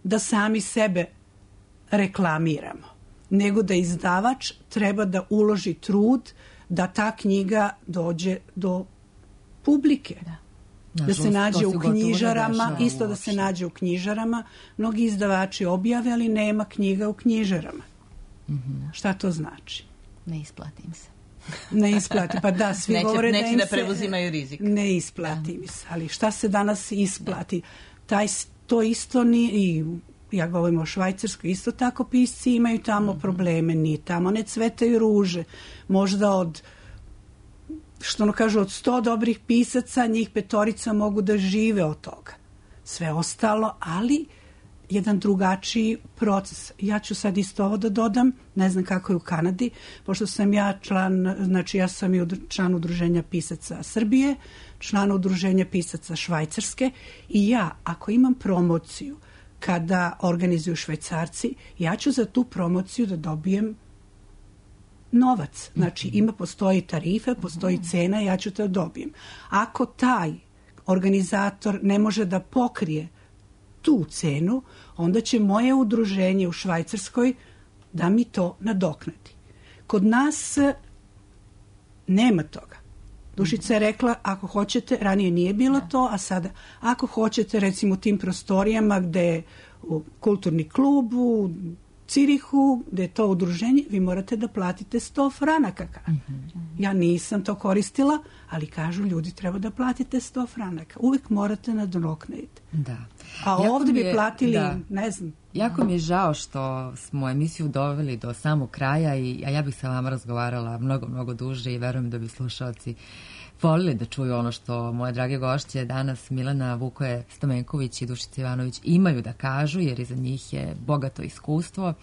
da sami sebe reklamiramo, nego da izdavač treba da uloži trud da ta knjiga dođe do publike. Da se nađe u knjižarama, isto da se nađe u knjižarama. Mnogi izdavači objave, ali nema knjiga u knjižarama. Šta to znači? Ne isplati im se. Ne isplati, pa da, svi govore da im se... Neće da preuzimaju rizik. Ne isplati mi se, ali šta se danas isplati? To isto nije, i ja govorim o Švajcarskoj, isto tako pisci imaju tamo probleme, ni tamo ne cvetaju ruže. Možda od 100 dobrih pisaca, njih 5 mogu da žive od toga. Sve ostalo, ali jedan drugačiji proces. Ja ću sad isto ovo da dodam, ne znam kako je u Kanadi, pošto sam ja član, znači ja sam i član udruženja pisaca Srbije, član udruženja pisaca Švajcarske i ja, ako imam promociju kada organizuju Švajcarci, ja ću za tu promociju da dobijem novac. Znači, postoji tarife, postoji cena, ja ću to dobijem. Ako taj organizator ne može da pokrije tu cenu, onda će moje udruženje u Švajcarskoj da mi to nadoknadi. Kod nas nema toga. Dušica je rekla, ako hoćete, ranije nije bilo to, a sada, ako hoćete, recimo u tim prostorijama gde je kulturni klub, u Cirihu, gde je to udruženje, vi morate da platite 100 franaka. Ja nisam to koristila, ali kažu ljudi treba da platite 100 franaka. Uvek morate nadoknaditi. Da. A ovdje bi platili, ne znam. Jako mi je žao što smo emisiju doveli do samog kraja, a ja bih sa vama razgovarala mnogo duže i verujem da bi slušalci volili da čuju ono što moje drage gošće danas Milana Vukoje Stamenković i Dušica Ivanović imaju da kažu, jer iza njih je bogato iskustvo,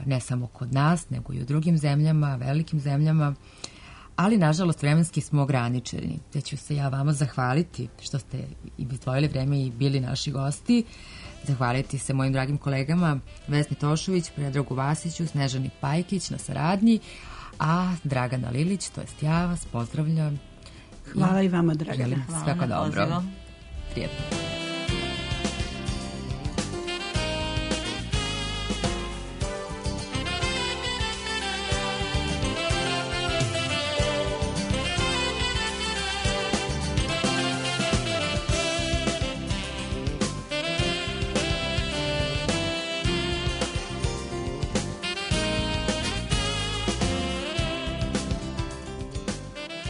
ne samo kod nas, nego i u drugim zemljama, velikim zemljama, ali nažalost vremenski smo ograničeni. Te ću se ja vama zahvaliti što ste izdvojili vreme i bili naši gosti. Zahvaliti se mojim dragim kolegama Vesni Tošović, Predragu Vasiću, Snežani Pajkić na saradnji, a Dragana Lilić, to jest ja, vas pozdravljam. Hvala i vama, Dragana. Želim svako dobro. Prijetno.